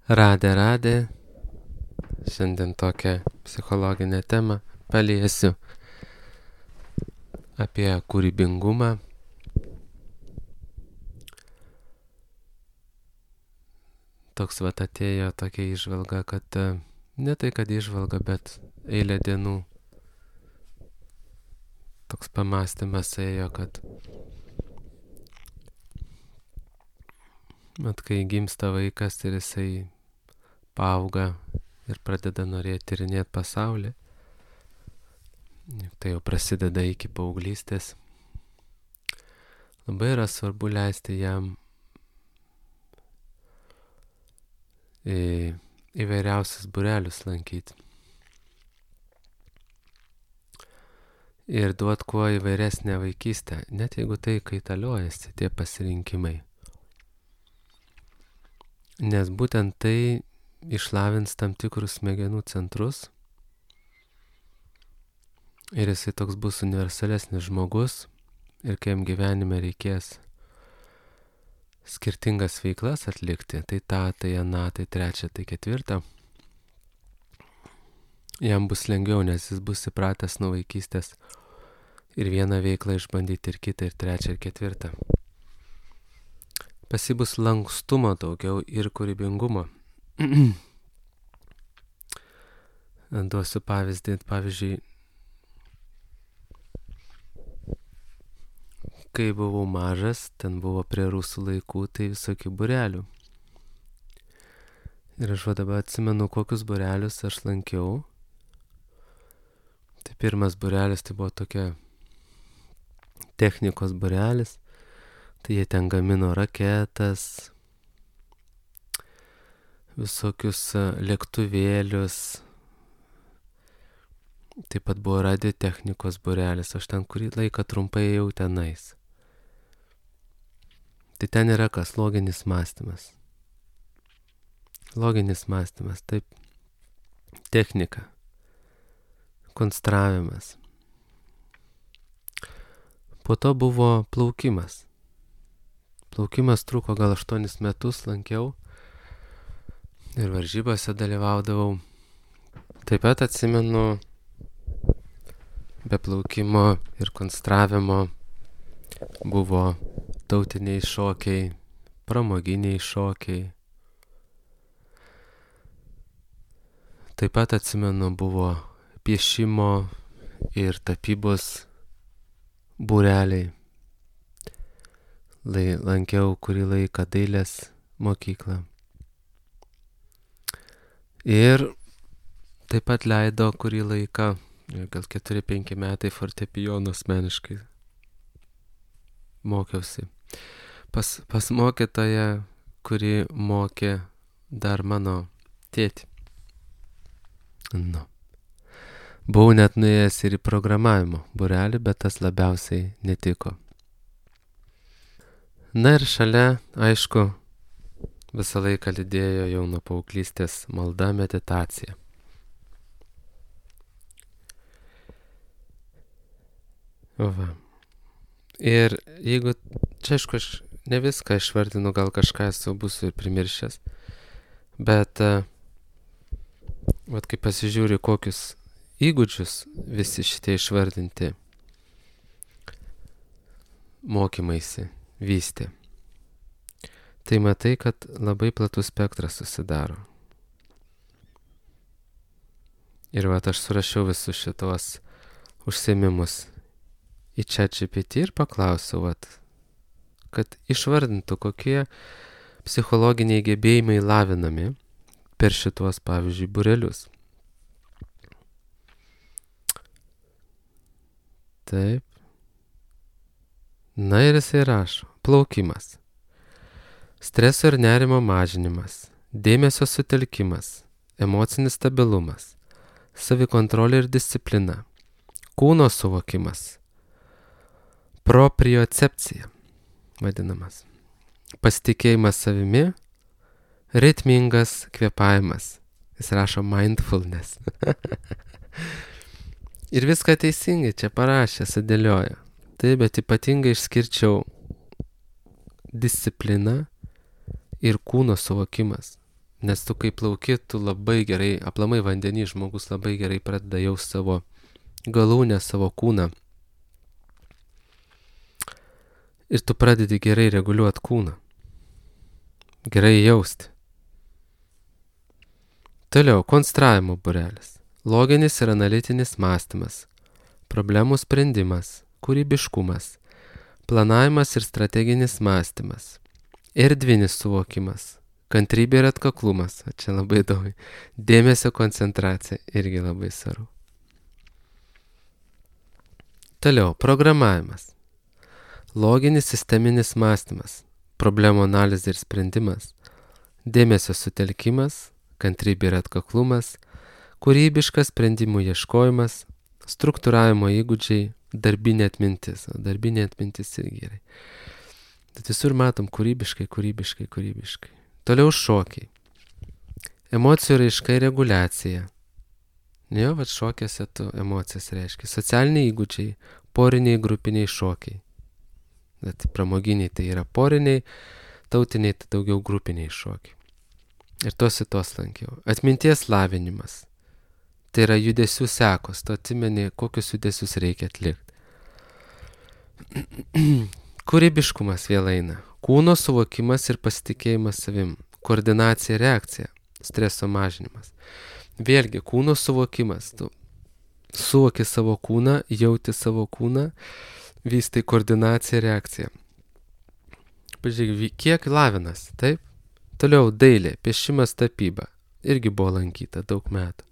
Radė. Šiandien tokią psichologinę temą paliesiu apie kūrybingumą. Toks atėjo tokia įžvalga, kad ne tai, kad įžvalga, bet eilė dienų. Toks pamąstymas ėjo, kad kai gimsta vaikas ir jisai paauga ir pradeda norėti tyrinėti pasaulį, tai jau prasideda iki paauglystės. Labai yra svarbu leisti jam įvairiausius būrelius lankyti. Ir duot kuo įvairesnę vaikystę, net jeigu tai kaitaliojasi tie pasirinkimai. Nes būtent tai išlavins tam tikrus smegenų centrus ir jisai toks bus universalesnis žmogus ir kai jam gyvenime reikės skirtingas veiklas atlikti, tai tą, tai aną, tai trečią, tai ketvirtą, jam bus lengviau, nes jis bus įpratęs nuo vaikystės ir vieną veiklą išbandyti, ir kitą, ir trečią, ir ketvirtą. Pas jį bus lankstumo daugiau ir kūrybingumo. Duosiu pavyzdį, pavyzdžiui, kai buvau mažas, ten buvo prie rusų laikų, tai visokių būrelių. Ir aš dabar atsimenu, kokius būrelius aš lankiau. Tai pirmas būrelis tai buvo tokia technikos būrelis. Tai jie ten gamino raketas, visokius lėktuvėlius. Taip pat buvo radiotechnikos būrelis, aš ten kurį laiką trumpai ėjau tenais. Tai ten yra kas? Loginis mąstymas. Loginis mąstymas, taip. Technika. Konstravimas. Po to buvo plaukimas. Plaukimas truko gal 8 metus, lankiau ir varžybose dalyvaudavau. Taip pat atsimenu, be plaukimo ir konstravimo buvo tautiniai šokiai, pramoginiai šokiai. Taip pat atsimenu, buvo piešimo ir tapybos būreliai. Lankiau kurį laiką dailės mokyklą. Ir taip pat leido kurį laiką, gal 4-5 metai fortepijono asmeniškai mokiausi. Pas mokytoją, kuri mokė dar mano tėtį. Buvau net nuėjęs ir į programavimo būrelį, bet tas labiausiai netiko. Na ir šalia, aišku, visą laiką lydėjo jau nuo paauglystės malda, meditacija. Va. Ir jeigu, čia aišku, aš ne viską išvardinu, gal kažką būsiu ir primiršęs, bet kai pasižiūriu, kokius įgūdžius visi šitie išvardinti mokymaisi vystė, tai matai, kad labai platus spektras susidaro. Ir aš surašiau visus šitos užsiėmimus į ChatGPT ir paklausiau, kad išvardintų, kokie psichologiniai gebėjimai lavinami per šitos, pavyzdžiui, būrelius. Taip. Na ir jisai rašo: plaukimas, streso ir nerimo mažinimas, dėmesio sutelkimas, emocinis stabilumas, savikontrolė ir disciplina, kūno suvokimas, propriocepcija vadinamas, pasitikėjimas savimi, ritmingas kvėpavimas. Jis rašo mindfulness. Ir viską teisingai čia parašė, sudėliojo. Taip, bet ypatingai išskirčiau discipliną ir kūno suvokimas. Nes tu kai plauki, tu labai gerai, aplamai vandenį žmogus labai gerai pradeda jausti savo galūnę, savo kūną. Ir tu pradedi gerai reguliuoti kūną. Gerai jausti. Toliau, konstravimo būrelis. Loginis ir analitinis mąstymas. Problemų sprendimas. Kūrybiškumas. Planavimas ir strateginis mąstymas. Erdvinis suvokimas. Kantrybė ir atkaklumas. Čia labai daug. Dėmesio koncentracija. Irgi labai svarbu. Toliau, programavimas. Loginis sisteminis mąstymas. Problemų analizė ir sprendimas. Dėmesio sutelkimas. Kantrybė ir atkaklumas. Kūrybiškas sprendimų ieškojimas. Struktūravimo įgūdžiai. Darbinė atmintis. O darbinė atmintis irgi gerai. Bet visur matom kūrybiškai. Toliau šokiai. Emocijų raiška ir reguliacija. Jo, vat šokiuose tu emocijas reiškia. Socialiniai įgūdžiai, poriniai, grupiniai šokiai. Bet pramoginiai tai yra poriniai, tautiniai tai daugiau grupiniai šokiai. Ir tos lankiau. Atminties lavinimas. Tai yra judesių sekos. Tu atsimeni, kokius judesius reikia atlikti. Kūrybiškumas vėl eina. Kūno suvokimas ir pasitikėjimas savim. Koordinacija ir reakcija. Streso mažinimas. Vėlgi, kūno suvokimas. Tu suvoki savo kūną, jauti savo kūną, vystai koordinaciją ir reakciją. Pažiūrėk, kiek lavinas, taip? Toliau dailė, piešimas, tapyba. Irgi buvo lankyta daug metų.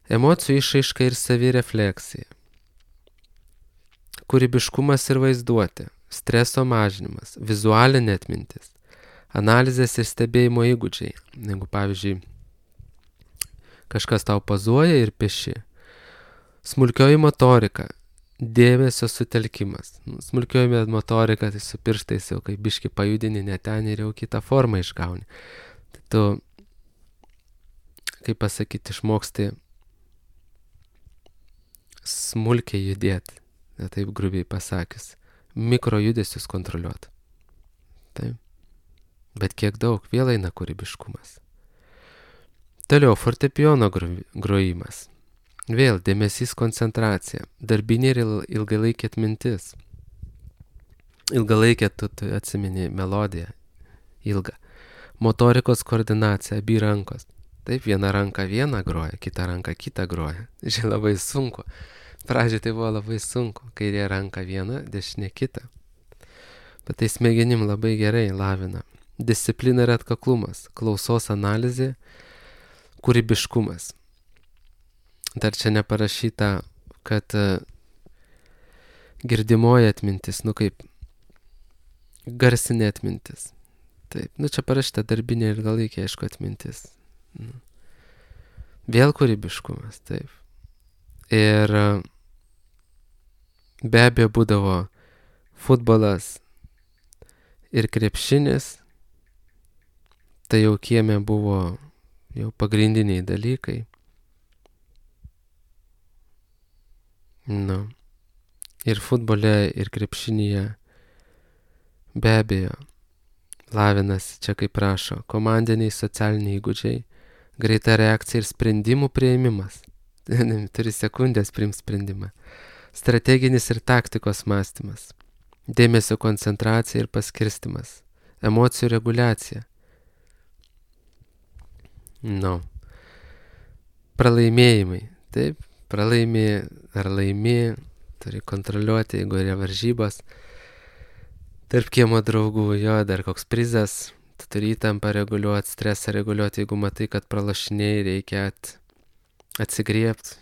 Emocijų išraiška ir savirefleksija. Kūrybiškumas ir vaizduotė. Streso mažinimas, vizualinė atmintis, analizės ir stebėjimo įgūdžiai. Jeigu, pavyzdžiui, kažkas tau pozuoja ir pieši. Smulkioji motorika, dėmesio sutelkimas. Smulkioji motorika, tai su pirštais jau kaip biški pajudini ne ten ir jau kitą formą išgauni. Tai tu, kaip pasakyti, išmoksti smulkiai judėti, taip grubiai pasakius. Mikrojudesius kontroliuoti. Taip. Bet kiek daug, vėl eina kūrybiškumas. Toliau, fortepijono grojimas. Vėl dėmesys, koncentracija. Darbinė ir ilgalaikė atmintis. Ilgalaikė, tu atsimeni melodiją. Ilga. Motorikos koordinacija, abi rankos. Taip, viena ranka vieną groja, kita ranka kitą groja. Žiūrėjau, labai sunku. Pradžioje tai buvo labai sunku, kairė ranka viena, dešinė kita. Bet tai smegenim labai gerai lavina. Disciplina ir atkaklumas, klausos analizė, kūrybiškumas. Dar čia neparašyta, kad girdimoji atmintis, kaip garsinė atmintis. Taip, čia parašyta darbinė ir ilgalaikė, aišku, atmintis. Vėl kūrybiškumas, taip. Ir be abejo būdavo futbolas ir krepšinis, tai jau kieme buvo jau pagrindiniai dalykai. Ir futbole, ir krepšinyje be abejo lavinasi, čia kaip rašo, komandiniai socialiniai įgūdžiai, greita reakcija ir sprendimų priėmimas. Turi sekundės priimt sprendimą. Strateginis ir taktikos mąstymas. Dėmesio koncentracija ir paskirstimas. Emocijų reguliacija. Pralaimėjimai. Taip, pralaimi ar laimi, turi kontroliuoti, jeigu yra varžybos. Tarp kiemo draugų, dar koks prizas, tu turi įtampą reguliuoti, stresą reguliuoti, jeigu matai, kad pralašinėjai, reikia atsigriebti.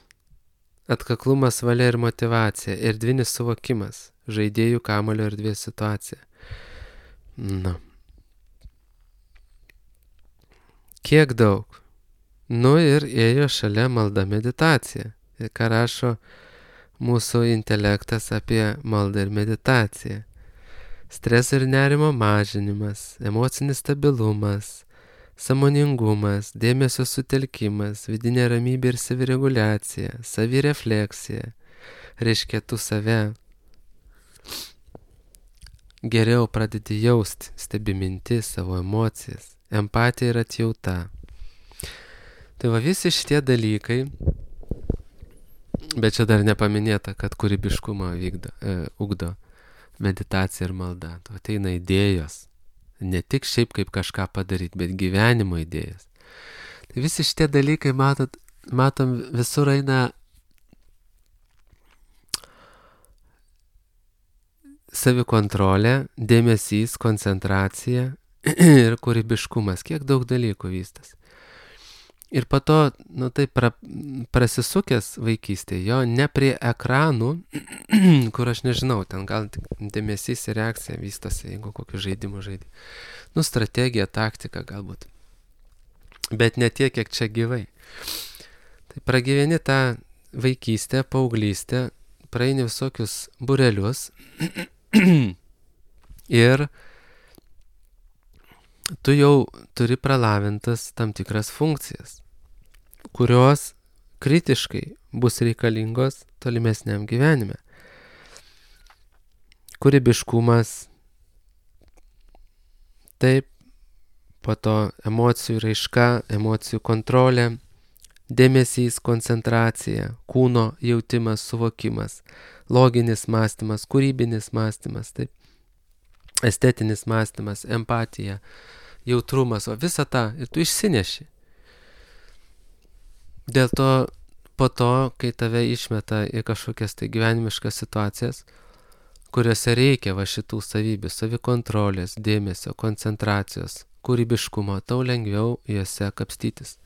Atkaklumas, valia ir motyvacija, erdvinis suvokimas, žaidėjų kamuolio erdvės situacija. Kiek daug. Ir ėjo šalia malda meditacija. Ir ką rašo mūsų intelektas apie maldą ir meditaciją. Streso ir nerimo mažinimas, emocinis stabilumas, sąmoningumas, dėmesio sutelkimas, vidinė ramybė ir savireguliacija, savirefleksija. Reiškia, tu save geriau pradedi jausti, stebi mintis, savo emocijas, empatija ir atjauta. Tai va visi šitie dalykai, bet čia dar nepaminėta, kad kūrybiškumą ugdo meditacija ir malda. Tu ateina idėjos, ne tik šiaip kaip kažką padaryti, bet gyvenimo idėjas. Tai visi šitie dalykai, matom, visur eina savikontrolė, dėmesys, koncentracija ir kūrybiškumas. Kiek daug dalykų vystas. Ir po to, prasisukęs vaikystėje, jo ne prie ekranų, kur aš nežinau, ten gal dėmesys ir reakcija vystosi, jeigu kokiu žaidimu žaidži. Strategija, taktika galbūt. Bet ne tiek, kiek čia gyvai. Tai pragyveni tą vaikystę, paauglystę, praeini visokius burelius ir tu jau turi pralavintas tam tikras funkcijas, kurios kritiškai bus reikalingos tolimesniam gyvenime. Kūrybiškumas, taip, po to emocijų raiška, emocijų kontrolė, dėmesys, koncentracija, kūno jautimas, suvokimas, loginis mąstymas, kūrybinis mąstymas, taip, estetinis mąstymas, empatija, jautrumas, o visą tą ir tu išsineši. Dėl to po to, kai tave išmeta į kažkokias tai gyvenimiškas situacijas, kuriuose reikia va šitų savybių, savikontrolės, dėmesio, koncentracijos, kūrybiškumo, tau lengviau juose kapstytis.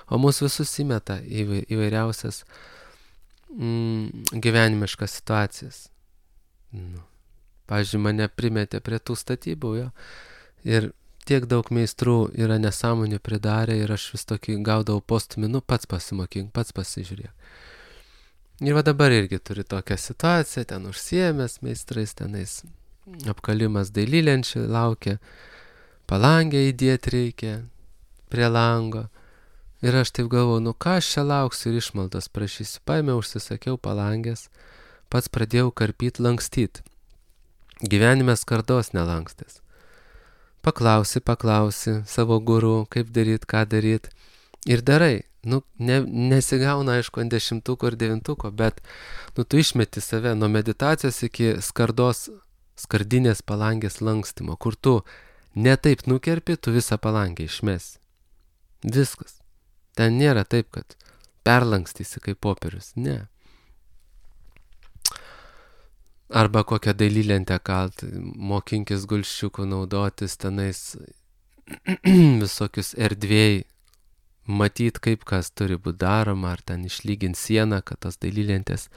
O mūsų visus įmeta įvairiausias gyvenimiškas situacijas. Pavyzdžiui, mane primetė prie tų statybų, jo. Ir tiek daug meistrų yra nesąmonių pridarę ir aš vis tokį gaudavau postumį, pats pasimokyk, pats pasižiūrėk. Ir va dabar irgi turi tokią situaciją, ten užsiėmęs meistrais, tenais apkalimas dailylenčių laukia, palangę įdėti reikia prie lango. Ir aš taip galvoju, ką aš čia lauksiu ir išmaldos prašysiu. Paėmiau, užsisakiau palangės, pats pradėjau karpyti, lankstyti. Gyvenime skardos nelankstės. Paklausi savo guru, kaip daryt, ką daryt. Ir darai. Nesigauna, aišku, ant 10 ir 9, bet tu išmeti save nuo meditacijos iki skardinės palangės lankstymo, kur tu ne taip nukerpi, tu visą palangę išmesi. Viskas. Ten nėra taip, kad perlankstysi kaip popierius. Ne. Arba kokią dailylentę kalt, mokinkis gulščiukų naudotis tenais visokius erdvėjai, matyt, kaip kas turi būti daroma, ar ten išlygint sieną, kad tos dailylentės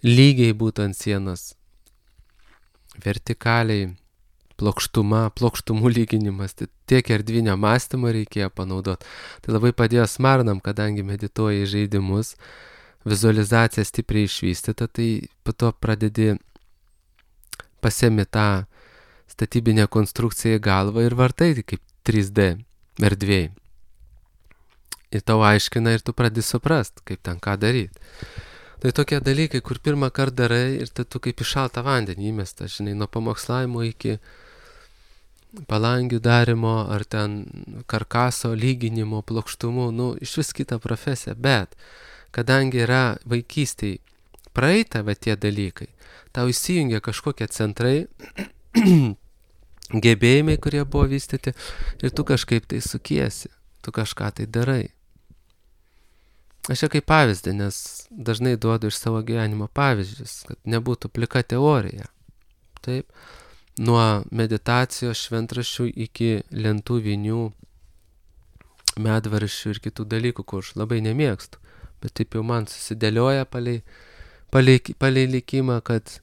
lygiai būtų ant sienos, vertikaliai, plokštumų lyginimas, tai tiek erdvinio mąstymo reikėjo panaudoti. Tai labai padėjo smarnam, kadangi medituoja į žaidimus, vizualizacija stipriai išvystyta, tai po to pradedi pasiemi tą statybinę konstrukciją į galvą ir vartai kaip 3D erdvėjai. Ir tau aiškina ir tu pradedi suprast, kaip ten ką daryti. Tai tokie dalykai, kur pirmą kartą darai ir tu kaip į šaltą vandenį įmesta, žinai, nuo pamokslavimo iki palangių darimo ar ten karkaso lyginimo, plokštumų, iš vis kita profesija, bet kadangi yra vaikystėj praeita va tie dalykai, tau įsijungia kažkokie centrai, gebėjimai, kurie buvo vystyti ir tu kažkaip tai sukiesi, tu kažką tai darai. Aš čia kaip pavyzdį, nes dažnai duodu iš savo gyvenimo pavyzdžius, kad nebūtų plika teorija. Taip, nuo meditacijos šventraščių iki lentų vinių, medvaršių ir kitų dalykų, kur aš labai nemėgstu. Bet taip jau man susidėlioja palei likimą, kad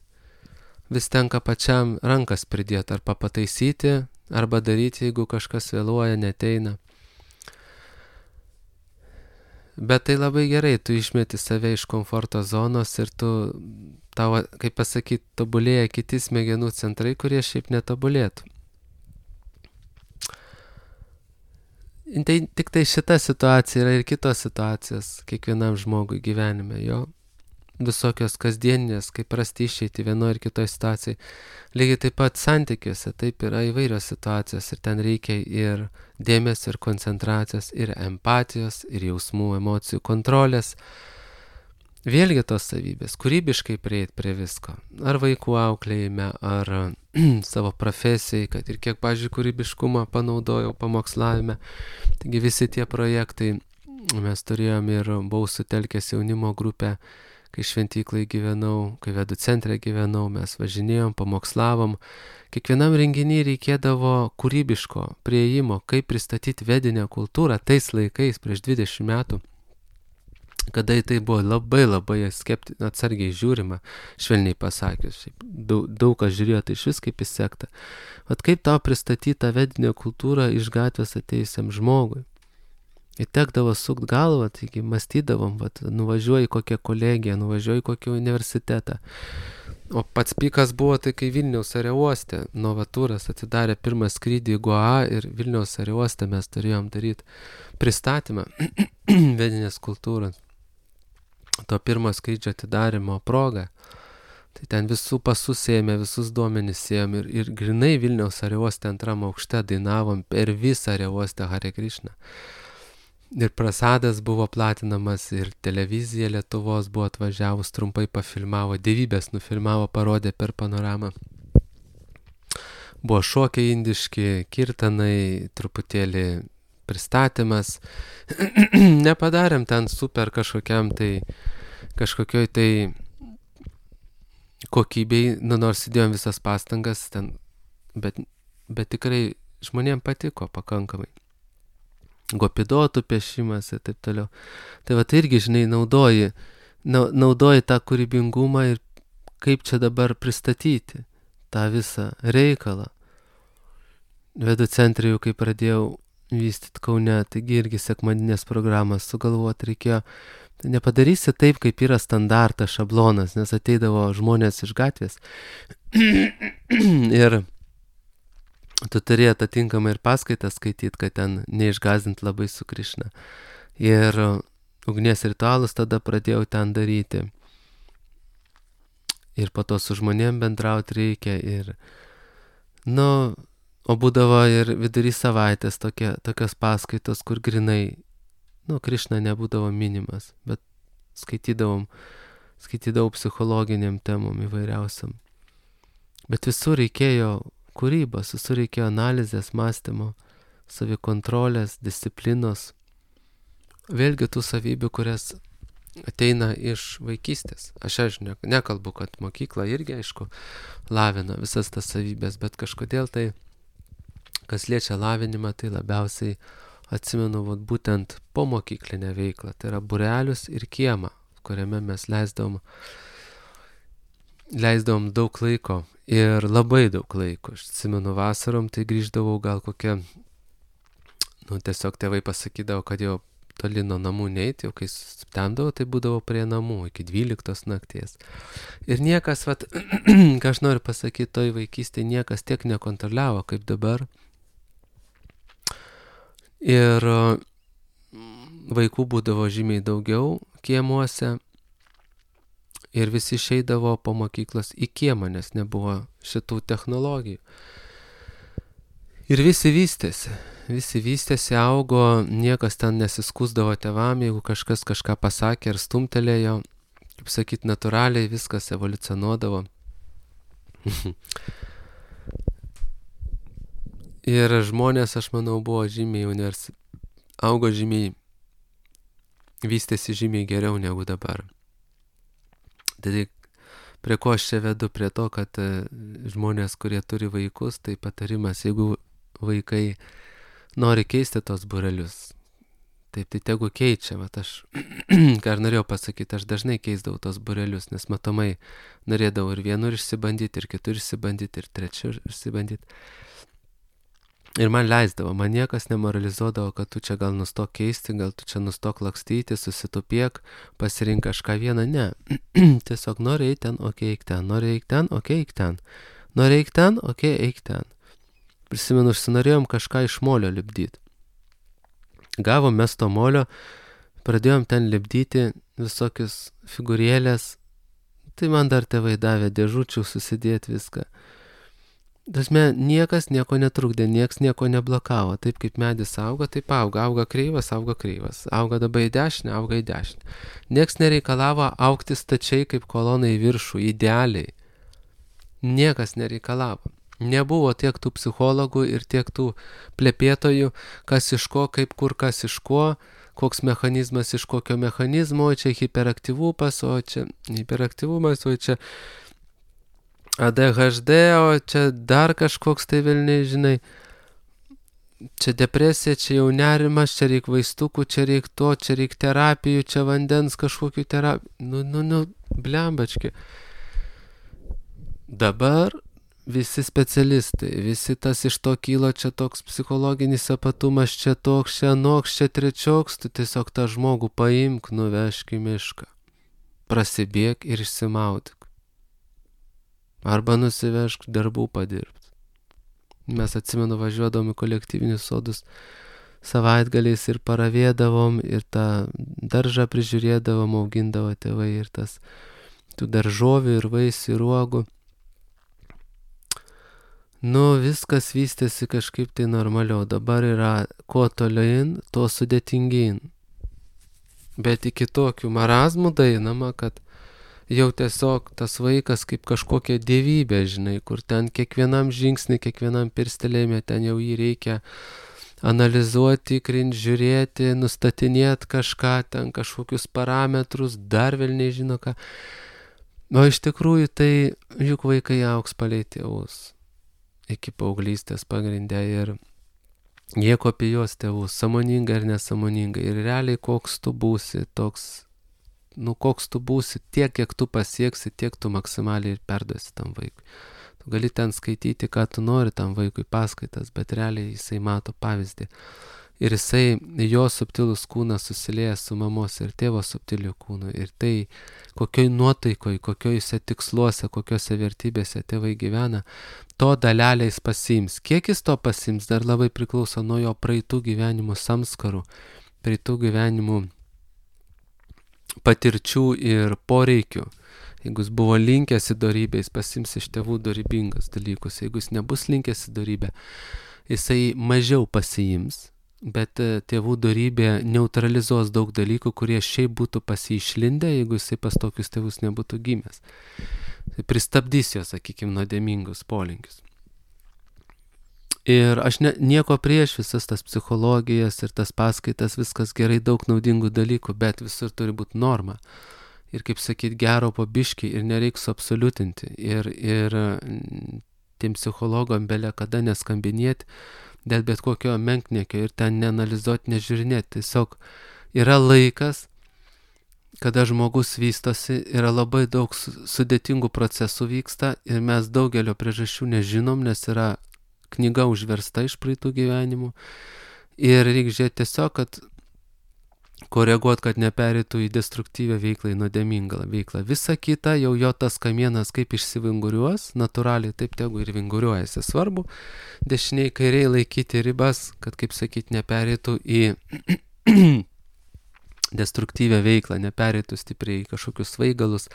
vis tenka pačiam rankas pridėti, arba pataisyti, arba daryti, jeigu kažkas vėluoja, neteina. Bet tai labai gerai, tu išmeti save iš komforto zonos ir tau, kaip pasakyti, tobulėja kiti smegenų centrai, kurie šiaip netobulėtų. Tai tik tai šita situacija yra ir kitos situacijos kiekvienam žmogui gyvenime, jo. visokios kasdieninės, kaip rasti išeiti vienoje ir kitoje situacijai. Lygiai taip pat santykiuose, taip yra įvairios situacijos ir ten reikia ir dėmesio, ir koncentracijos, ir empatijos, ir jausmų, emocijų kontrolės. Vėlgi tos savybės, kūrybiškai prieiti prie visko. Ar vaikų auklėjime, ar savo profesijai, kad ir kiek, pavyzdžiui, kūrybiškumą panaudojau pamokslavime. Taigi visi tie projektai, mes turėjom ir buvau sutelkęs jaunimo grupę, kai šventyklai gyvenau, kai vedų centre gyvenau, mes važinėjom, pamokslavom. Kiekvienam renginį reikėdavo kūrybiško prieimo, kaip pristatyti vedinę kultūrą tais laikais, prieš 20 metų, kada į tai buvo labai atsargiai žiūrima, švelniai pasakius. Daug kas žiūrėjo tai iš vis kaip į sektą. Vat kaip tau pristatyti tą vedinę kultūrą iš gatvės atėjusiam žmogui. Ir tekdavo sukt galvą, taigi mąstydavom, nuvažiuoju į kokią kolegiją, nuvažiuoju į kokį universitetą. O pats pikas buvo tai, kai Vilniaus aerouoste Novatūras atidarė pirmą skrydį į Goa ir Vilniaus aerouoste mes turėjom daryti pristatymą vedinės kultūros. To pirmo skrydžio atidarimo proga. Tai ten visų pasus ėmė, visus duomenis ėjom ir grinai Vilniaus aerouoste antram aukšte dainavom per visą aerouostę Hare Krishna. Ir prasadas buvo platinamas, ir televizija Lietuvos buvo atvažiavus, trumpai pafilmavo, dievybės nufilmavo, parodė per panoramą. Buvo šokiai indiški, kirtanai, truputėlį pristatymas. Nepadarėm ten super kažkokioj tai kokybei, nors įdėjom visas pastangas ten, bet tikrai žmonėm patiko pakankamai. Gopidotų piešimas ir taip toliau. Tai va, tai irgi, žinai, naudoji tą kūrybingumą ir kaip čia dabar pristatyti tą visą reikalą. Vedų centre jau kai pradėjau vystyti Kaune, taigi irgi sekmadinės programas sugalvoti reikėjo. Tai nepadarysi taip, kaip yra standartas, šablonas, nes ateidavo žmonės iš gatvės ir tu turi atitinkamai ir paskaitą skaityti, kad ten neišgąsdint labai su Krišna. Ir ugnies ritualus tada pradėjau ten daryti. Ir po to su žmonėm bendrauti reikia. Ir, o būdavo ir vidury savaitės tokios paskaitos, kur grinai, Krišna nebūdavo minimas, bet skaitydavau psichologiniam temom įvairiausiam. Bet visur reikėjo kūrybos, visur reikėjo analizės, mąstymo, savikontrolės, disciplinos. Vėlgi tų savybių, kurias ateina iš vaikystės. Aš nekalbu, kad mokykla irgi, aišku, lavina visas tas savybės, bet kažkodėl tai, kas liečia lavinimą, tai labiausiai atsimenu būtent po mokyklinę veiklą. Tai yra būrelius ir kiemą, kuriame mes leisdavom daug laiko. Ir labai daug laiko. Aš atsimenu vasarom, tai grįždavau gal kokią, tiesiog tėvai pasakydavo, kad jau toli nuo namų neiti, jau kai stemdavau, tai būdavo prie namų iki 12 nakties. Ir niekas, ką aš noriu pasakyti, toj vaikystėje niekas tiek nekontroliavo, kaip dabar. Ir vaikų būdavo žymiai daugiau kiemuose. Ir visi išeidavo po mokyklos į kiemą, nes nebuvo šitų technologijų. Ir visi vystėsi, augo, niekas ten nesiskusdavo tėvam, jeigu kažkas kažką pasakė ar stumtelėjo, kaip sakyt, natūraliai viskas evoliucionuodavo. Ir žmonės, aš manau, buvo augo žymiai, vystėsi žymiai geriau negu dabar. Tai prie ko aš čia vedu? Prie to, kad žmonės, kurie turi vaikus, tai patarimas, jeigu vaikai nori keisti tos būrelius, tai tegu keičia. Aš, ką ir norėjau pasakyti, aš dažnai keisdavau tos būrelius, nes matomai norėdavau ir vienur išsibandyti, ir kitur išsibandyti, ir trečiur išsibandyti. Ir man leisdavo, man niekas nemoralizuodavo, kad tu čia gal nustok keisti, gal tu čia nustok lakstyti, susitupiek, pasirink kažką vieną, ne. Tiesiog nori eiti ten, okei, eik ten, nori eik ten, okei, eik ten, nori eik ten, okei, eik ten. Prisimenu, užsinorėjom kažką iš molio lipdyti. Gavom mes to molio, pradėjom ten lipdyti visokius figūrėlės, tai man dar tėvai davė dėžučių susidėti viską. Dasme, niekas nieko netrukdė, nieks nieko neblokavo. Taip kaip medis auga, taip auga. Auga kreivas, auga kreivas. Auga dabar į dešinę, auga į dešinę. Nieks nereikalavo augti stačiai kaip kolonai į viršų, idealiai. Niekas nereikalavo. Nebuvo tiek tų psichologų ir tiek tų plepėtojų, kas iš ko, kaip kur, kas iš ko, koks mechanizmas iš kokio mechanizmo, o čia hiperaktyvumas, o čia ADHD, o čia dar kažkoks tai velniai, žinai, čia depresija, čia jau nerimas, čia reik vaistukų, čia reik to, čia reik terapijų, čia vandens kažkokių terapijų, blembački. Dabar visi specialistai, visi tas iš to kylo, čia toks psichologinis apatumas, čia toks, čia anoks, čia trečioks, tu tiesiog tą žmogų paimk, nuvežk į mišką, prasibėk ir išsimaudyk. Arba nusivežk darbų padirbti. Mes atsimenu važiuodavom į kolektyvinius sodus savaitgaliais ir paravėdavom ir tą daržą prižiūrėdavom, augindavo tėvai ir tas tų daržovių ir vaisių ir uogų. Viskas vystėsi kažkaip tai normaliau. Dabar yra kuo tolyn, tuo sudėtingyn. Bet iki tokių marazmų dainama, kad jau tiesiog tas vaikas kaip kažkokia dievybė, žinai, kur ten kiekvienam žingsnį, kiekvienam pirstelėjime, ten jau jį reikia analizuoti, tikrinti, žiūrėti, nustatinėti kažką, ten kažkokius parametrus, dar velniai žino ką. O iš tikrųjų tai juk vaikai augs palei tėvus iki paauglystės pagrindę ir jie kopijuos tėvus, sąmoningai ar nesąmoningai. Ir realiai koks tu būsi, koks tu būsi, tiek kiek tu pasieksi, tiek tu maksimaliai ir perduosi tam vaikui. Tu gali ten skaityti, ką tu nori tam vaikui paskaitas, bet realiai jisai mato pavyzdį. Ir jisai, jo subtilus kūnas susilieja su mamos ir tėvo subtiliu kūnu. Ir tai, kokioj nuotaikoj, kokiojose tiksluose, kokiose vertybėse tėvai gyvena, to dalelę jis pasiims. Kiek jis to pasiims, dar labai priklauso nuo jo praeitų gyvenimų samskarų, praeitų gyvenimų patirčių ir poreikių. Jeigu jis buvo linkęs į dorybę, jis pasiims iš tėvų dorybingas dalykus. Jeigu jis nebus linkęs į dorybę, jisai mažiau pasiims. Bet tėvų dorybė neutralizuos daug dalykų, kurie šiaip būtų pasišlindę, jeigu jisai pas tokius tėvus nebūtų gimęs. Tai pristabdys jo, sakykime, nuodėmingus polinkius. Ir aš nieko prieš visas tas psichologijas ir tas paskaitas, viskas gerai, daug naudingų dalykų, bet visur turi būti norma. Ir kaip sakyt, gero po biškį ir nereik suabsoliutinti. Ir tiem psichologam belė kada neskambinėti, dėl bet kokio menkniekio ir ten neanalizuoti, nežiūrinėti. Tiesiog yra laikas, kada žmogus vystosi, yra labai daug sudėtingų procesų vyksta ir mes daugelio priežasčių nežinom, nes yra knyga užversta iš praeitų gyvenimų ir reikia žiūrėti tiesiog, kad koreguoti, kad nepereitų į destruktyvę veiklą, į nuodėmingą veiklą. Visa kita, jau jo tas kamienas kaip išsivinguriuos, natūraliai taip tegu ir vinguriuojasi. Svarbu dešiniai kairiai laikyti ribas, kad, kaip sakyti, nepereitų į destruktyvę veiklą, nepereitų stipriai į kažkokius svaigalus,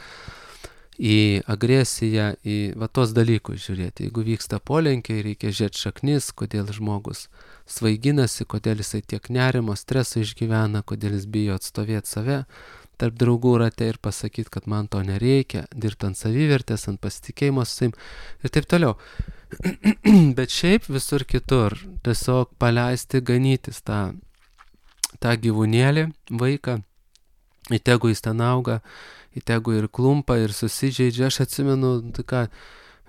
į agresiją, į tos dalykus žiūrėti. Jeigu vyksta polenkiai, reikia žiūrėti šaknis, kodėl žmogus svaiginasi, kodėl jisai tiek nerimo, streso išgyvena, kodėl jis bijo atstovėti save tarp draugų rate ir pasakyti, kad man to nereikia, dirbti ant savivertės, ant pasitikėjimo su savim ir taip toliau. Bet šiaip visur kitur tiesiog paleisti, ganytis tą gyvūnėlį, vaiką, įtegu jis ten auga, įtegu ir klumpa, ir susižeidžia. Aš atsimenu,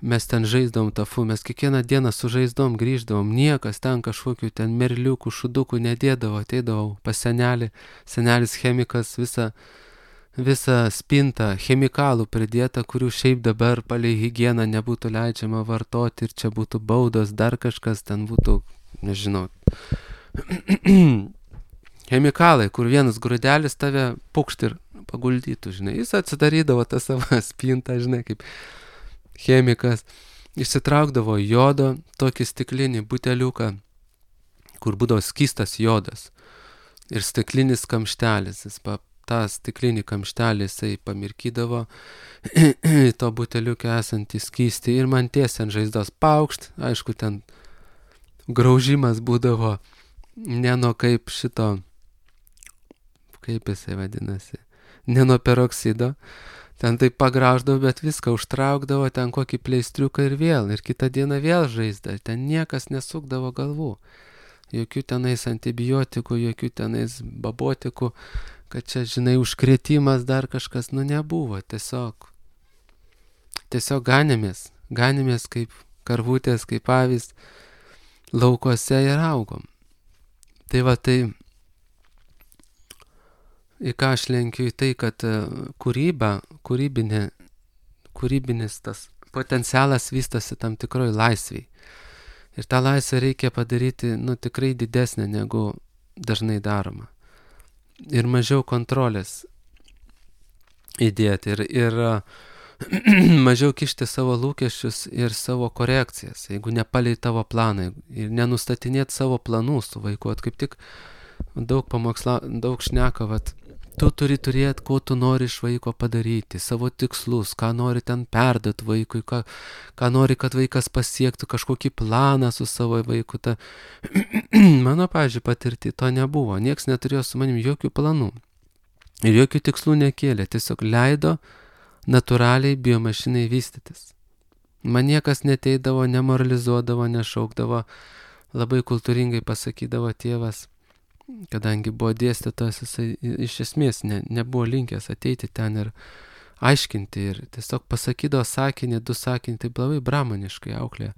mes ten žaisdavom mes kiekvieną dieną su žaisdavom, grįždavom, niekas ten kažkokių ten merliukų, šudukų nedėdavo, ateidavau pas senelį, senelis chemikas, visą spintą chemikalų pridėta, kurių šiaip dabar palei higieną nebūtų leidžiama vartoti ir čia būtų baudos, dar kažkas ten būtų, nežinau, chemikalai, kur vienas grūdelis tave pukšt ir paguldytų, žinai. Jis atsidarydavo tą savo spintą, žinai, kaip chemikas. Išsitraukdavo jodo, tokį stiklinį buteliuką, kur būdavo skystas jodas. Ir stiklinis kamštelis. Jis tą stiklinį kamštelį jisai pamirkydavo to buteliuke esantį skystį ir man tiesiai ant žaizdos paukšt, aišku, ten graužimas būdavo ne nuo kaip jisai vadinasi, ne nuo peroksido, ten tai pagrauždavo, bet viską užtraukdavo, ten kokį pleistriuką ir kitą dieną vėl žaizda, ten niekas nesukdavo galvų. Jokių tenais antibiotikų, jokių tenais babotikų, kad čia, žinai, užkrėtimas dar kažkas, nebuvo, tiesiog ganėmės kaip karvutės, kaip avys laukuose ir augom. Tai va, tai į ką aš lenkiu, į tai, kad kūrybinis tas potencialas vystosi tam tikroj laisviai. Ir tą laisvę reikia padaryti, tikrai didesnė negu dažnai daroma. Ir mažiau kontrolės įdėti ir mažiau kišti savo lūkesčius ir savo korekcijas, jeigu nepalei tavo planą ir nenustatinėti savo planų su vaiku. Kaip tik daug šneka, tu turi turėti, ko tu nori iš vaiko padaryti, savo tikslus, ką nori ten perduoti vaikui, ką nori, kad vaikas pasiektų, kažkokį planą su savo vaiku. Mano, pavyzdžiui, patirti to nebuvo, nieks neturėjo su manim jokių planų ir jokių tikslų nekėlė, tiesiog leido natūraliai biomašinai vystytis. Man niekas neteidavo, nemoralizuodavo, nešaukdavo, labai kultūringai pasakydavo tėvas, kadangi buvo dėstytojas, jisai iš esmės nebuvo linkęs ateiti ten ir aiškinti ir tiesiog pasakydavo sakinį, 2 sakinį, taip labai bramaniškai auklė.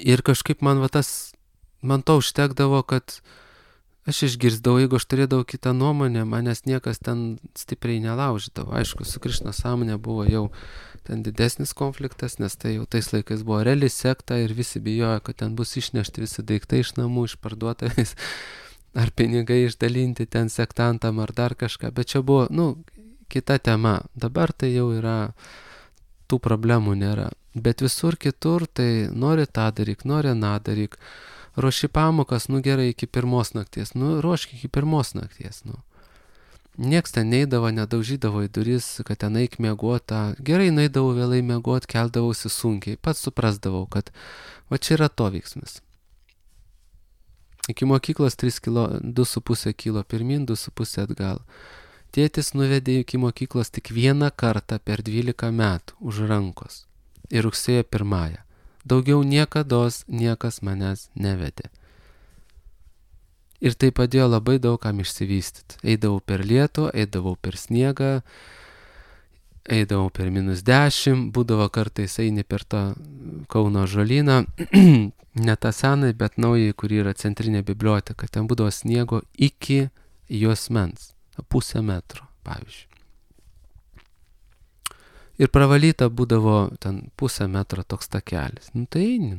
Ir kažkaip man to užtekdavo, kad aš išgirsdavau, jeigu aš turėdavau kitą nuomonę, manęs niekas ten stipriai nelaužydavo. Aišku, su Krišna sąmonė buvo jau ten didesnis konfliktas, nes tai jau tais laikais buvo reali sekta ir visi bijojo, kad ten bus išnešti visi daiktai iš namų, išparduotais, ar pinigai išdalinti ten sektantam, ar dar kažką. Bet čia buvo, kita tema. Dabar tai jau yra, tų problemų nėra. Bet visur kitur tai nori tą daryk, nori aną daryk. Ruoši pamokas, gerai, iki 1 nakties. Ruošk iki 1 nakties, Nieks ten neidavo, nedaužydavo į duris, kad ten eik miegoti. Gerai, neidavau vėlai miegoti, keldavausi sunkiai. Pats suprasdavau, kad čia yra to veiksmis. Iki mokyklos 2,5 kilo pirmin, 2,5 atgal. Tėtis nuvedė iki mokyklos tik 1 kartą per 12 metų už rankos. Ir rugsėjo 1. Daugiau niekados niekas manęs nevedė. Ir tai padėjo labai daug kam išsivystyti. Eidavau per lietų, eidavau per sniegą, eidavau per -10, būdavo kartais eini per tą Kauno ąžuolyną, ne tą senai, bet naujai, kur yra centrinė biblioteka. Ten būdavo sniego iki juosmens, 0,5 metro, pavyzdžiui. Ir pravalyta būdavo ten 0,5 metro toks takelis. Tai eini,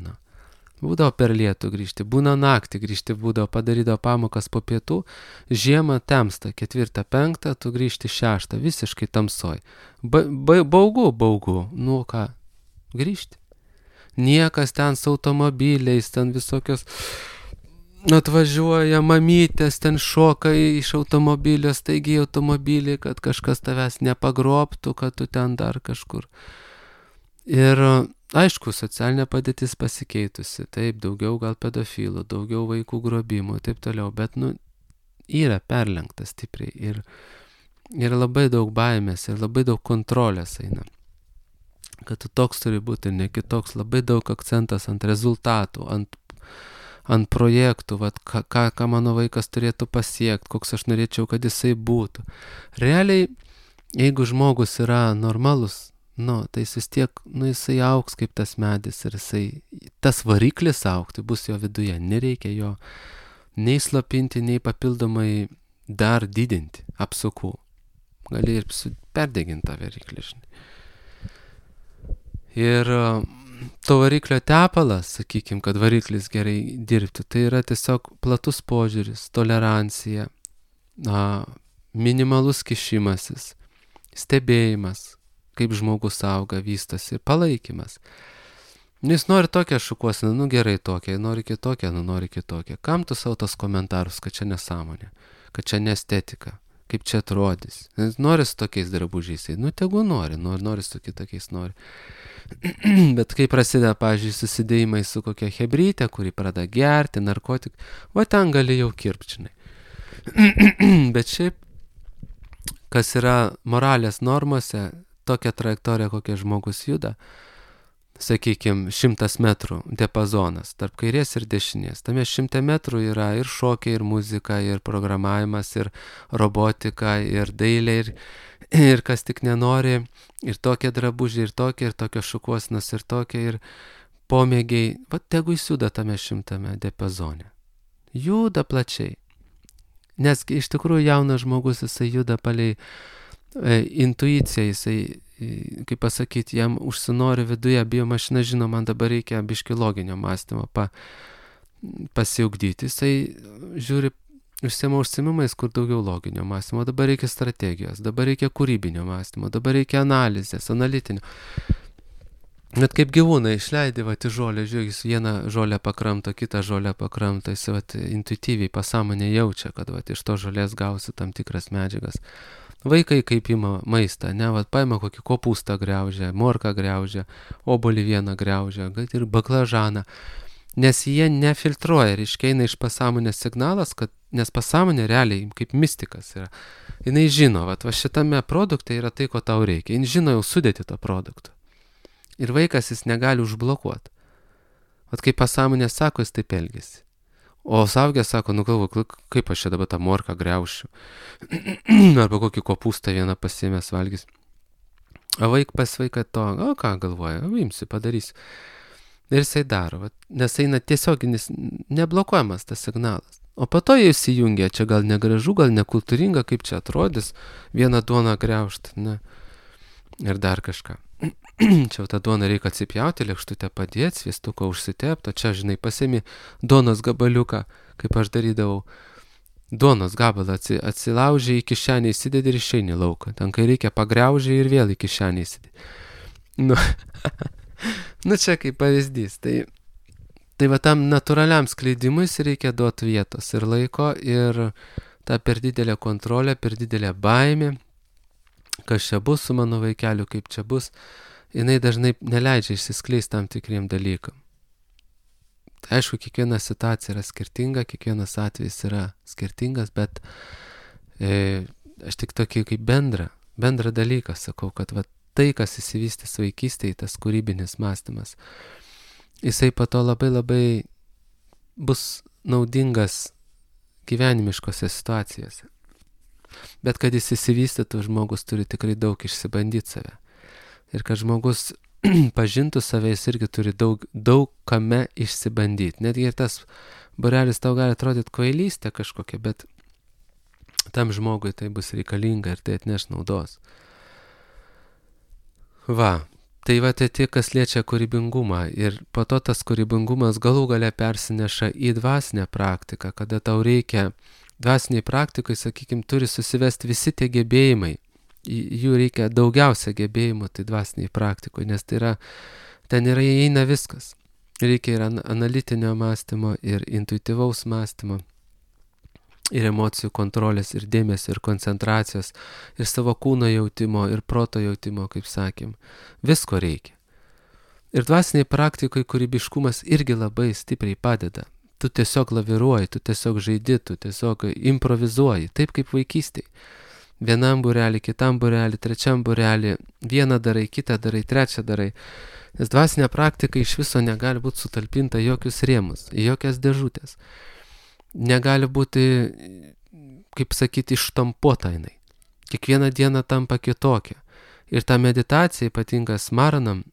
Būdavo per lietų grįžti, būna naktį grįžti, būdavo padarydavo pamokas po pietų, žiemą temsta, 4-5, tu grįžti 6, visiškai tamsoj. Baugu, ką, grįžti. Niekas ten su automobiliais, ten visokios atvažiuoja mamytės, ten šoka iš automobilio, staigiai automobilį, kad kažkas tavęs nepagrobtų, kad tu ten dar kažkur. Ir aišku, socialinė padėtis pasikeitusi, taip, daugiau gal pedofilų, daugiau vaikų grobimų, taip toliau, bet yra perlenkta stipriai ir labai daug baimės ir labai daug kontrolės eina. Kad tu toks turi būti ir ne kitoks, labai daug akcentas ant rezultatų, ant projektų, ką mano vaikas turėtų pasiekti, koks aš norėčiau, kad jisai būtų. Realiai, jeigu žmogus yra normalus, tai jis vis tiek, jisai augs kaip tas medis ir tas variklis augti bus jo viduje. Nereikia jo nei slopinti, nei papildomai dar didinti apsukų. Gali ir perdeginti tą variklį, žinai. Ir to variklio tepalas, sakykim, kad variklis gerai dirbtų, tai yra tiesiog platus požiūris, tolerancija, minimalus kišimasis, stebėjimas, kaip žmogus auga, vystosi, palaikymas. Jis nori tokią šukuosiną, gerai tokią, nori kitokią, nori kitokią. Kam tu savo tos komentarus, kad čia nesąmonė, kad čia ne estetika, kaip čia atrodys. Nori su tokiais drabužiais, nu tegu nori su kitokiais nori. Bet kai prasideda, pavyzdžiui, susidėjimai su kokia hebrytė, kuri pradeda gerti, narkotik, va ten gali jau kirpčinai. Bet šiaip, kas yra moralės normose, tokia trajektorija, kokia žmogus juda, sakykime, 100 metrų diapazonas tarp kairės ir dešinės. Tame 100 metrų yra ir šokiai, ir muzika, ir programavimas, ir robotika, ir dailė, ir kas tik nenori, ir tokie drabužiai, ir tokios šukuosinos, ir tokie, ir pomėgiai. Va, tegu jis juda tame 100 diapazone. Juda plačiai. Nes iš tikrųjų jaunas žmogus, jisai juda palei intuiciją, jisai, kaip pasakyti, jam užsinori viduje, biomašina žino, man dabar reikia biški loginio mąstymo pasiugdyti. Jisai žiūri, užsiema užsimimais, kur daugiau loginio mąstymo, dabar reikia strategijos, dabar reikia kūrybinio mąstymo, dabar reikia analizės, analitinio. Bet kaip gyvūnai išleidė, į žolę, žiūrėk, jis vieną žolę pakramto, kitą žolę pakramto, jis intuityviai pasąmonė jaučia, kad iš to žolės gausi tam tikras medžiagas. Vaikai kaip ima maistą, paima kokį kopūstą griaužia, morką griaužia, obolį vieną griaužia, ir baklažaną. Nes jie nefiltruoja, reiškia, eina iš pasąmonės signalas, nes pasąmonė realiai kaip mistikas yra. Jinai žino, va šitame produkte yra tai, ko tau reikia. Jis žino jau sudėti to produkto. Ir vaikas jis negali užblokuoti. Vat kaip pasąmonė sako, jis taip elgesi. O suaugęs sako, galvoju, kaip aš čia dabar tą morką griaušiu. Arba kokį kopūstą vieną pasiėmęs valgys. O pas vaiką to, ką galvoja, imsiu, padarysiu. Ir jisai daro, nes eina tiesioginis, neblokuojamas tas signalas. O po to jie įsijungia, čia gal negražu, gal nekultūringa, kaip čia atrodys, vieną duoną griaužti, ne. Ir dar kažką. Čia tą duoną reikia atsipjauti, lėkštutę padėti, sviestuką užsitepti, čia, žinai, pasiemi duonos gabaliuką, kaip aš darydavau. Duonos gabalą atsilaužiai, į kišenę įsidedi ir išeini lauką. Ten, kai reikia, pagriaužiai ir vėl į kišenę įsidedi. Nu, čia kaip pavyzdys. Tai va tam natūraliam skleidimui reikia duoti vietos ir laiko, ir ta per didelė kontrolė, per didelė baimė, kas čia bus su mano vaikeliu, kaip čia bus, jinai dažnai neleidžia išsiskleisti tam tikriem dalykam. Tai aišku, kiekviena situacija yra skirtinga, kiekvienas atvejis yra skirtingas, bet aš tik tokį kaip bendrą dalyką sakau, kad va, tai, kas įsivystys vaikystėje, tas kūrybinis mąstymas, jisai po to labai labai bus naudingas gyvenimiškose situacijose. Bet kad jis įsivystytų, žmogus turi tikrai daug išsibandyti save. Ir kad žmogus pažintų save, jis irgi turi daug kame išsibandyti. Netgi ir tas būrelis tau gali atrodyti kvailystė kažkokia, bet tam žmogui tai bus reikalinga ir tai atneš naudos. Tai tai kas liečia kūrybingumą. Ir po to tas kūrybingumas galų gale persineša į dvasinę praktiką, kada tau reikia dvasiniai praktikai, sakykime, turi susivesti visi tie gebėjimai. Jų reikia daugiausia gebėjimų, tai dvasiniai praktikoje, nes ten įeina viskas. Reikia ir analitinio mąstymo, ir intuityvaus mąstymo, ir emocijų kontrolės, ir dėmesio, ir koncentracijos, ir savo kūno jautimo, ir proto jautimo, kaip sakėm. Visko reikia. Ir dvasiniai praktikai kūrybiškumas irgi labai stipriai padeda. Tu tiesiog laviruoji, tu tiesiog žaidi, tu tiesiog improvizuoji, taip kaip vaikystėje. Vienam būrelį, kitam būrelį, trečiam būrelį, vieną darai, kitą darai, trečią darai. Nes dvasinė praktika iš viso negali būti sutalpinta jokius rėmus, jokias dėžutės. Negali būti, kaip sakyti, ištampuota jinai. Kiekvieną dieną tampa kitokia. Ir ta meditacija, ypatinga smaranam,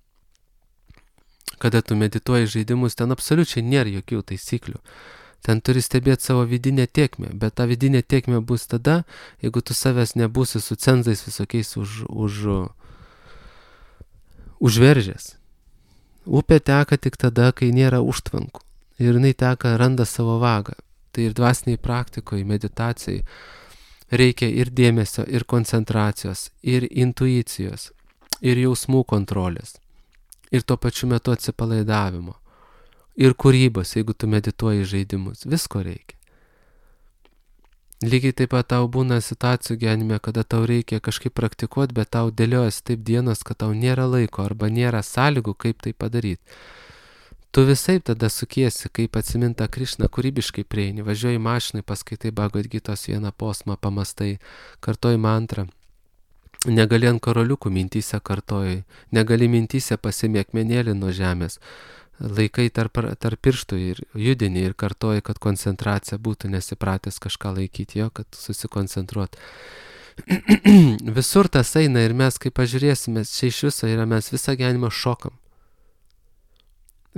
kada tu medituoji žaidimus, ten absoliučiai nėra jokių taisyklių. Ten turi stebėti savo vidinę tėkmę, bet ta vidinė tėkmė bus tada, jeigu tu savęs nebūsi su cenzais visokiais užveržęs. Upė teka tik tada, kai nėra užtvankų. Ir jinai teka, randa savo vagą. Tai ir dvasiniai praktikoje, meditacijai reikia ir dėmesio, ir koncentracijos, ir intuicijos, ir jausmų kontrolės. Ir tuo pačiu metu atsipalaidavimo. Ir kūrybos, jeigu tu medituoji žaidimus. Visko reikia. Lygiai taip pat tau būna situacijų gyvenime, kada tau reikia kažkaip praktikuoti, bet tau dėliojasi taip dienos, kad tau nėra laiko arba nėra sąlygų, kaip tai padaryti. Tu visai tada sukiesi, kaip atsiminta Krišna, kūrybiškai prieini, važiuoji mašinai, paskaitai Bhagavad Gitos vieną posmą, pamastai, kartoji mantrą. Negali ant karoliukų mintyse kartoji, negali mintyse pasimė akmenėlį nuo žemės. Laikai tarp pirštų ir judini ir kartoji, kad koncentracija būtų, nesipratęs kažką laikyti jo, kad susikoncentruot. Visur tas eina ir mes, kai pažiūrėsime, čia iš viso yra, mes visą gyvenimą šokam.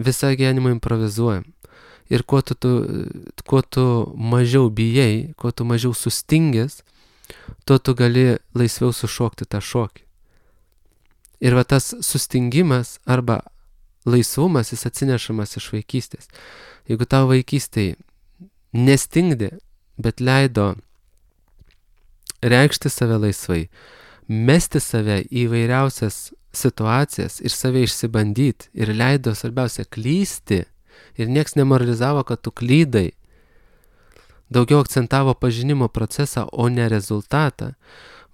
Visą gyvenimą improvizuojam. Ir kuo tu mažiau bijai, kuo tu mažiau sustingęs, tuo tu gali laisviau sušokti tą šokį. Ir va tas sustingimas arba laisvumas, jis atsinešamas iš vaikystės. Jeigu tau vaikystėje nestingdė, bet leido reikšti save laisvai, mesti save į vairiausias situacijas ir save išsibandyti ir leido, svarbiausia, klysti ir nieks nemoralizavo, kad tu klydai, daugiau akcentavo pažinimo procesą, o ne rezultatą,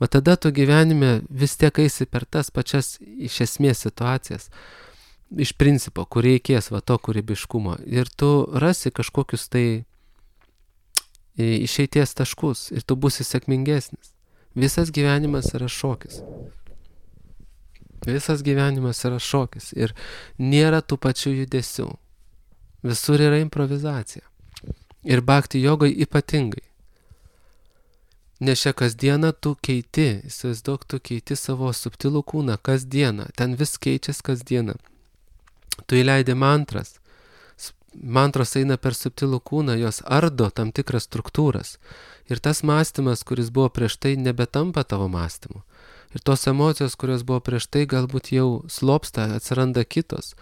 va tada tu gyvenime vis tiek eisi per tas pačias iš esmės situacijas, iš principo, kur reikės va to kūrybiškumo ir tu rasi kažkokius tai išeities taškus ir tu būsi sėkmingesnis. Visas gyvenimas yra šokis. Visas gyvenimas yra šokis ir nėra tų pačių judesių. Visur yra improvizacija. Ir bhakti jogai ypatingai. Nes čia kasdieną tu keiti, įsivaizduok, tu keiti savo subtilų kūną kasdieną, ten vis keičiasi kasdieną. Tu įleidi mantras. Mantros eina per subtilų kūną, jos ardo tam tikras struktūras. Ir tas mąstymas, kuris buvo prieš tai, nebetampa tavo mąstymu. Ir tos emocijos, kurios buvo prieš tai, galbūt jau slopsta, atsiranda kitos.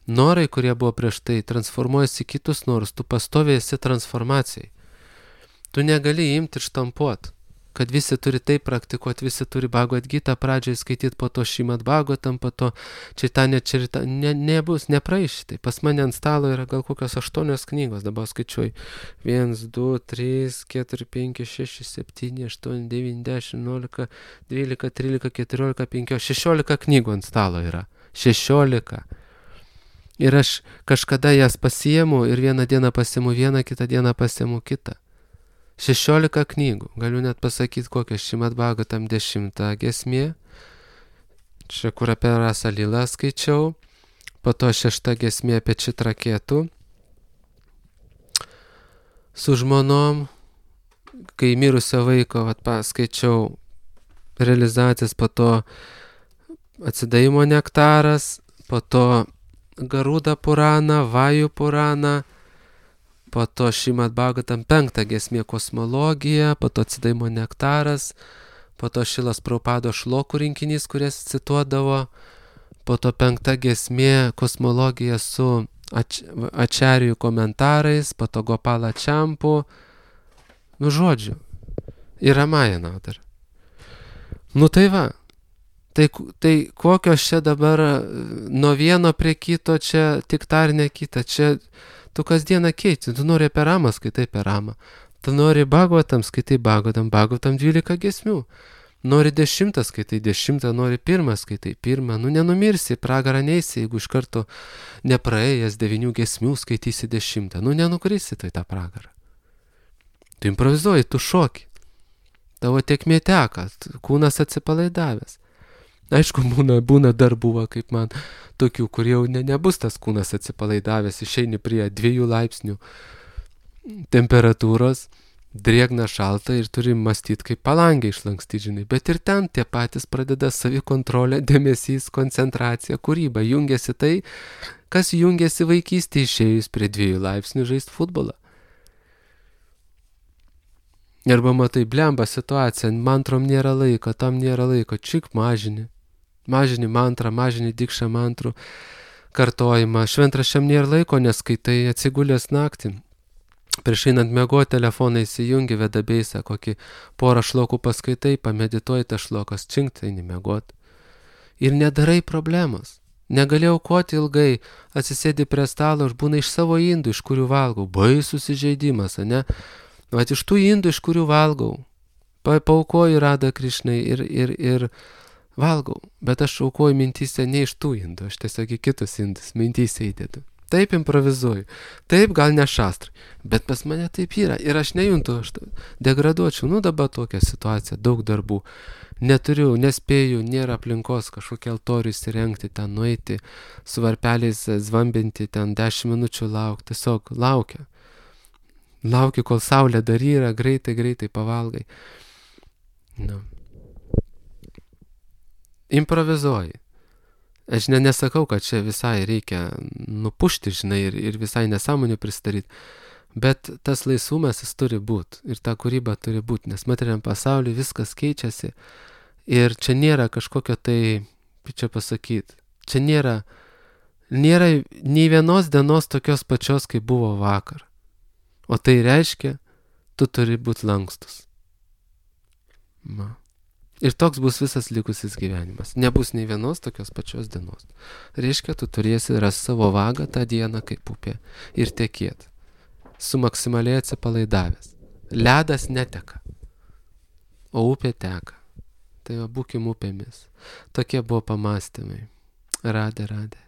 Norai, kurie buvo prieš tai, transformuojasi į kitus norus, tu pastoviai esi transformacijai. Tu negali imti ir štampuoti, kad visi turi taip praktikuoti, visi turi Bhagavad Gitą pradžiai skaityti, po to Šrimad Bhagavatam, po to Čaitanija Čarita, nebus, nepraeis šitai. Pas mane ant stalo yra gal kokios 8 knygos, dabar skaičiuoju. 1, 2, 3, 4, 5, 6, 7, 8, 9, 10, 11, 12, 13, 14, 15, 16 knygų ant stalo yra. 16. Ir aš kažkada jas pasiimu ir vieną dieną pasiimu vieną, kitą dieną pasiimu kitą. 16 knygų, galiu net pasakyti, kokią Šrimad Bhagavatam 10 giesmė, čia kur apie Rasa Lilą skaičiau, po to 6 giesmė apie Čitraketų, su žmonom, kai mirusio vaiko paskaičiau realizacijas, po to atsidavimo nektaras, po to Garuda Purana, Vajų Purana, po to Šrimad Bhagavatam 5 giesmė kosmologija, po to atsidavimo nektaras, po to Šilas Prabhupado šlokų rinkinys, kurias cituodavo, po to 5 giesmė kosmologija su ačarijų komentarais, po to Gopala Čampu, žodžiu, ir Ramayana dar. Tai va, tai kokios čia dabar nuo vieno prie kito, čia tik tarnė kita, čia tu kasdieną keiti, tu nori apie Ramą, skaitai apie Ramą. Tu nori Bhagavatam, skaitai Bhagavatam 12 giesmių. Nori 10, skaitai 10, nori 1, skaitai 1. Nenumirsi, pragarą neisi, jeigu iš karto nepraėjęs 9 giesmių skaitysi 10. Nenukrisi tai tą pragarą. Tu improvizuoji, tu šoki. Tavo tėkmė teka, kūnas atsipalaidavęs. Aišku, būna dar buvo, kaip man, tokių, kur jau nebus tas kūnas atsipalaidavęs, išeini prie 2 laipsnių temperatūros, drėgna šalta ir turi mąstyti, kaip palangę išlankstyti, žinai. Bet ir ten tie patys pradeda savikontrolę, dėmesys, koncentracija, kūryba. Jungiasi tai, kas jungiasi vaikystėje išėjus prie 2 laipsnių žaisti futbolą. Arba matai, blemba situacija, mantrom nėra laiko, tam nėra laiko, čik mažini. Mažini mantrą, mažini dikšą mantrų kartojimą. Šventraščiam nėra laiko, neskaitai, atsigulęs naktį. Prieš einant miegoti telefoną įsijungi, vedabeisą, kokį porą šlokų paskaitai, pamedituoji tą šlokas, činkt, eini miegoti. Ir nedarai problemos. Negali aukoti ilgai, atsisėdi prie stalo, aš būna iš savo indų, iš kurių valgau. Baisus įžeidimas, ne? Vat iš tų indų, iš kurių valgau, paaukoju Radha Krišnai ir valgau, bet aš aukoju mintyse ne iš tų indų, aš tiesiog į kitus indus mintyse įdedu. Taip improvizuoju, taip gal ne šastrai, bet pas mane taip yra ir aš nejuntu, aš degraduočiau, dabar tokia situacija, daug darbų, neturiu, nespėju, nėra aplinkos kažkokia altorių įsirengti, ten nueiti, su varpeliais zvambinti, ten 10 minučių laukti, tiesiog lauki, kol saulė dar yra, greitai pavalgai. Improvizuoji. Aš nesakau, kad čia visai reikia nupušti, žinai, ir visai nesąmonių pristaryt, bet tas laisvumas jis turi būti ir ta kūryba turi būti, nes materialiam pasauliu viskas keičiasi ir čia nėra kažkokio tai, kaip čia pasakyti, čia nėra nei vienos dienos tokios pačios, kaip buvo vakar. O tai reiškia, tu turi būti lankstus. Ir toks bus visas likusis gyvenimas. Nebus nei vienos tokios pačios dienos. Reiškia, tu turėsi rasti savo vagą tą dieną kaip upė ir tekėt. Su maksimaliai atsipalaidavęs. Ledas neteka, o upė teka. Tai būkim upėmis. Tokie buvo pamąstymai. Radė.